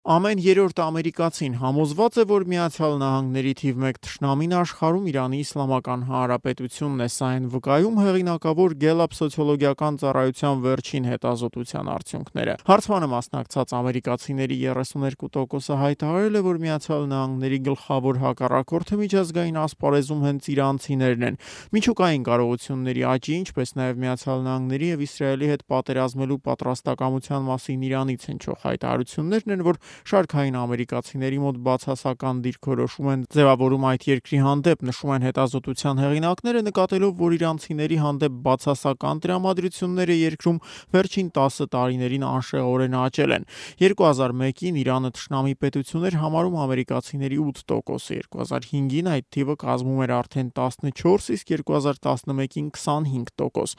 Ամեն երրորդ ամերիկացին համոզված է, որ Միացյալ Նահանգների թիվ 1 թշնամին աշխարհում Իրանի Իսլամական Հանրապետությունն է, սա են վկայում հեղինակավոր Gallup սոցիոլոգիական ծառայության վերջին հետազոտության արդյունքները։ Հարցմանը մասնակցած ամերիկացիների 32%-ը հայտարարել է, որ Միացյալ Նահանգների գլխավոր հակառակորդը միջազգային ասպարեզում հենց իրանցիներն են։ Միջուկային կարողությունների աճի, ինչպես նաև Միացյալ Նահանգների եւ Իսրայելի հետ պատերազմելու պատրաստակամության մասին Իրանից հնչող հայտարարություններն են, որ շարքային ամերիկացիների մոտ բացասական դիրքորոշում են ձևավորում այդ երկրի հանդեպ, նշում են հետազոտության հեղինակները, նկատելով, որ իրանցիների հանդեպ բացասական տրամադրությունները երկրում վերջին 10 տարիներին անշեղորեն աճել են։ 2001-ին Իրանը թշնամի պետություն էր համարում ամերիկացիների 8%-ը, 2005-ին այդ թիվը կազմում էր արդեն 14, իսկ 2011-ին 25%։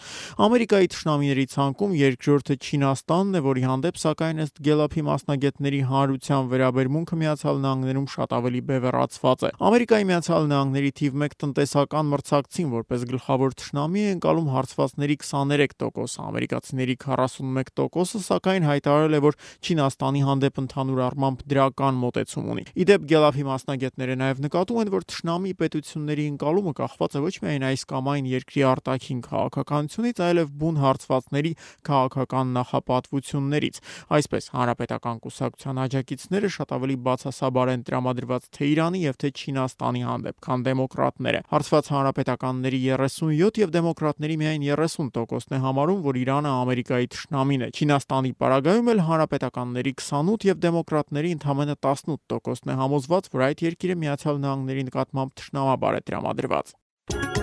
Ամերիկայի թշնամիների ցանկում երկրորդը Չինաստանն է, որի հանդեպ սակայն ըստ Gallup-ի մասնագետների հանրության վերաբերմունքը Միացյալ Նահանգներում շատ ավելի բևեռացված է։ Ամերիկայի Միացյալ Նահանգների թիվ 1 տնտեսական մրցակցին որպես գլխավոր թշնամի է ընկալում հարցվածների 23%-ը, ամերիկացիների 41%-ը սակայն հայտարարել է, որ Չինաստանի հանդեպ ընդհանուր առմամբ դրական մոտեցում ունի։ Ի դեպ Gallup-ի մասնագետները նաև նկատում են, որ թշնամի պետությունների ընկալումը կախված է ոչ միայն այս կամ այն երկրի արտաքին քաղաքականությունից, այլև բուն հարցվածների քաղաքական նախապատվություններից։ Այսպես, Հանրապետական կուսակցության աջակիցները շատ ավելի բացասաբար են տրամադրված թե Իրանի եւ թե Չինաստանի հանդեպ, քան դեմոկրատները։ Հարցված հանրապետականների 37 եւ դեմոկրատների միայն 30%-ն է համարում, որ Իրանը Ամերիկայի թշնամին է։ Չինաստանի պարագայում էլ հանրապետականների 28 եւ դեմոկրատների ընդամենը 18%-ն է համոզված, որ այդ երկիրը Միացյալ Նահանգների նկատմամբ թշնամաբար է տրամադրված։